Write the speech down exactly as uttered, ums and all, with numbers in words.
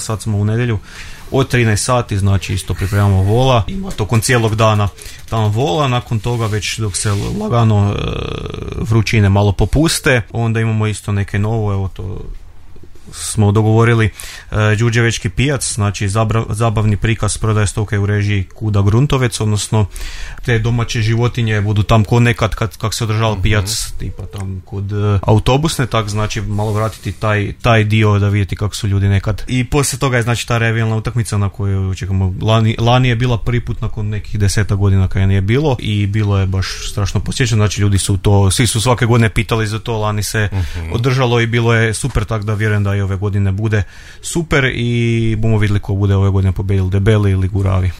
sad smo u nedjelju od trinaest sati, znači isto pripremamo vola, ima tokom cijelog dana tamo vola, nakon toga već dok se lagano e, vrućine malo popuste, onda imamo isto neke novo, evo to smo dogovorili, e, Đurđevečki pijac, znači zabra, zabavni prikaz prodaje stoke u režiji Kuda Gruntovec, odnosno te domaće životinje budu tam ko nekad kad, kak se održava mm-hmm. pijac, tipa tam kod e, autobusne, tak znači malo vratiti taj, taj dio da vidjeti kako su ljudi nekad. I poslije toga je znači ta revijalna utakmica na koju čekamo, lani, lani je bila prvi put nakon nekih deseta godina kad je nije bilo i bilo je baš strašno posjećeno, znači ljudi su to, svi su svake godine pitali za to, lani se mm-hmm. održalo i bilo je super, tak da vjerujem da i ove godine bude super i bomo vidjeli ko bude ove godine pobijedili Debeli ili Guravi.